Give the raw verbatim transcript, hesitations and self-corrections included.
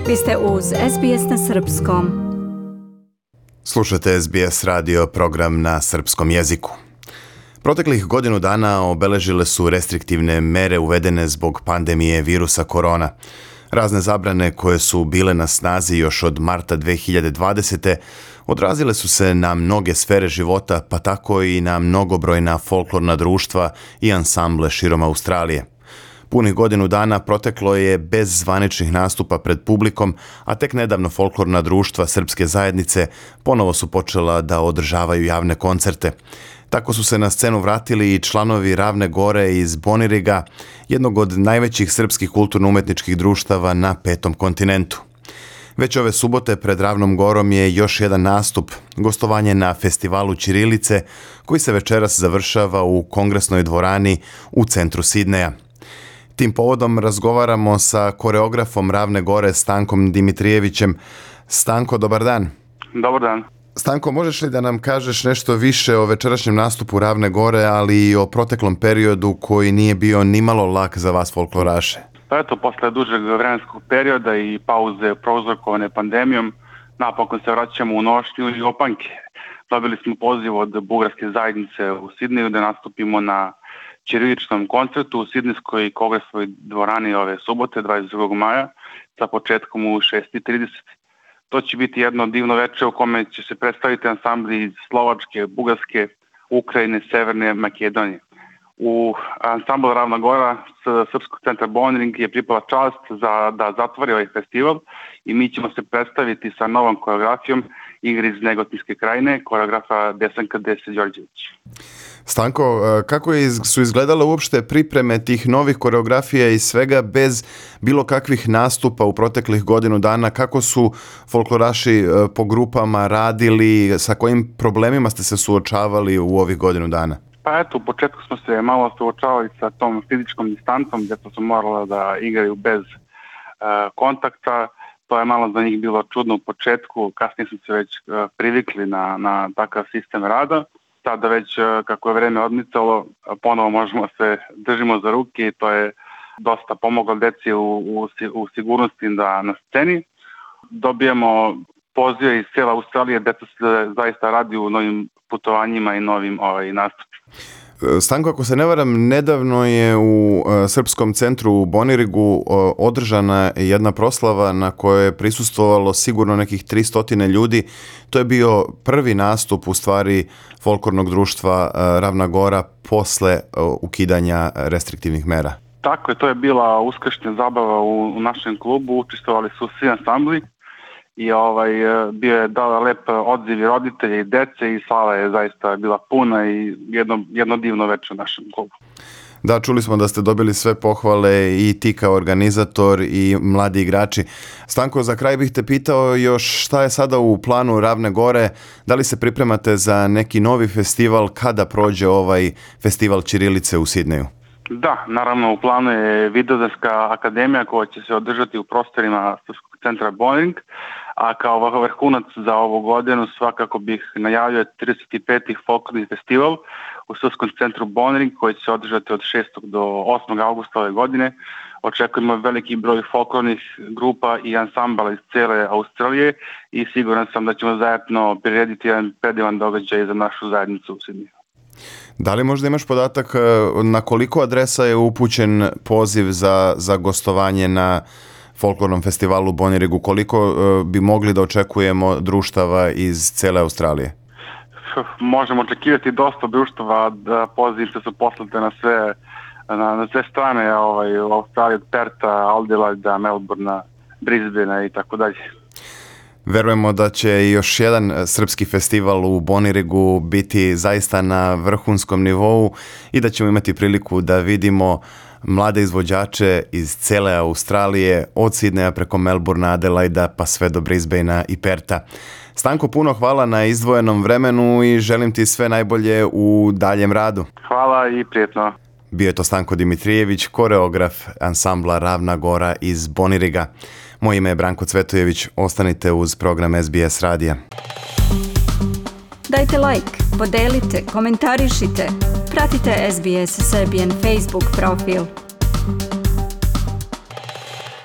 Vi ste uz S B S na srpskom. Slušate S B S radio, program na srpskom jeziku. Proteklih godinu dana obeležile su restriktivne mere uvedene zbog pandemije virusa korona. Razne zabrane koje su bile na snazi još od marta dve hiljade dvadesete. odrazile su se na mnoge sfere života, pa tako i na mnogobrojna folklorna društva i ansamble širom Australije. Punih godinu dana proteklo je bez zvaničnih nastupa pred publikom, a tek nedavno folklorna društva srpske zajednice ponovo su počela da održavaju javne koncerte. Tako su se na scenu vratili i članovi Ravne Gore iz Boniriga, jednog od najvećih srpskih kulturno-umetničkih društava na petom kontinentu. Već ove subote pred Ravnom Gorom je još jedan nastup, gostovanje na festivalu ćirilice, koji se večeras završava u kongresnoj dvorani u centru Sidneja. Tim povodom razgovaramo sa koreografom Ravne Gore Stankom Dimitrijevićem. Stanko, dobar dan. Dobar dan. Stanko, možeš li da nam kažeš nešto više o večerašnjem nastupu Ravne Gore, ali i o proteklom periodu koji nije bio nimalo lak za vas folkloraše? Pa eto, posle dužeg vremenskog perioda i pauze prouzrokovane pandemijom, napokon se vraćamo u nošnju i opanke. Dobili smo poziv od bugarske zajednice u Sidneju da nastupimo na ćiriličnom koncertu u Sidnejskoj kongresnoj dvorani ove subote, dvadeset drugog maja, sa početkom u šest i trideset. To će biti jedno divno večer u kome će se predstaviti ansambli iz Slovačke, Bugarske, Ukrajine, Severne Makedonije. U ansambl Ravna Gora s Srpskog centra Boniring je pripala čast za, da zatvori ovaj festival i mi ćemo se predstaviti sa novom koreografijom igre iz Negotinske krajine, koreografa Desanka Dese Đorđević. Stanko, kako su izgledale uopšte pripreme tih novih koreografija i svega bez bilo kakvih nastupa u proteklih godinu dana? Kako su folkloraši po grupama radili, sa kojim problemima ste se suočavali u ovih godinu dana? Pa eto, u početku smo se malo suočavali sa tom fizičkom distancom, gdje smo morali da igraju bez e, kontakta. To je malo za njih bilo čudno u početku, kasnije smo se već e, privikli na, na takav sistem rada. Sada već e, kako je vreme odmicalo, ponovo možemo se držimo za ruke i to je dosta pomoglo deci u, u, u sigurnosti da na sceni. Dobijemo pozive iz cijela Australije, deca se zaista radi u novim putovanjima i novim ovaj, nastupima. Stanko, ako se ne varam, nedavno je u Srpskom centru u Bonirigu održana jedna proslava na kojoj je prisustvovalo sigurno nekih tristo ljudi. To je bio prvi nastup u stvari folklornog društva Ravna Gora posle ukidanja restriktivnih mera. Tako je, to je bila uskršnja zabava u, u našem klubu, učestvovali su svi ansambli. I ovaj, bio je dala lep odziv i roditelja i dece i sala je zaista bila puna i jedno, jedno divno večer u našem klubu. Da, čuli smo da ste dobili sve pohvale i ti kao organizator i mladi igrači. Stanko, za kraj bih te pitao još šta je sada u planu Ravne Gore, da li se pripremate za neki novi festival kada prođe ovaj festival ćirilice u Sidneju? Da, naravno u planu je Vidovdanska akademija koja će se održati u prostorima Srpskog centra Boniring, a kao vrhunac za ovu godinu svakako bih najavio trideset peti folklorni festival u Srpskom centru Boniring koji će se održati od šestog do osmog avgusta ove godine. Očekujemo veliki broj folklornih grupa i ansambala iz cijele Australije i siguran sam da ćemo zajedno prirediti jedan predivan događaj za našu zajednicu u Sidneju. Da li možda imaš podatak na koliko adresa je upućen poziv za, za gostovanje na folklornom festivalu u Bonirigu? Koliko bi mogli da očekujemo društava iz cele Australije? Možemo očekivati dosta društava, da pozivice su poslate na sve, na, na sve strane ovaj, u Australiji, od Perta, Adelaida, Melbourna, Brisbanea i tako dalje. Verujemo da će još jedan srpski festival u Bonirigu biti zaista na vrhunskom nivou i da ćemo imati priliku da vidimo mlade izvođače iz cele Australije, od Sidneja preko Melbourna, Adelaida pa sve do Brisbanea i Perta. Stanko, puno hvala na izdvojenom vremenu i želim ti sve najbolje u daljem radu. Hvala i prijetno. Bio je to Stanko Dimitrijević, koreograf ansambla Ravna Gora iz Boniriga. Moje ime je Branko Cvetojević, ostanite uz program S B S radija. Dajte like, podelite, komentarišite, pratite S B S Serbian Facebook profil.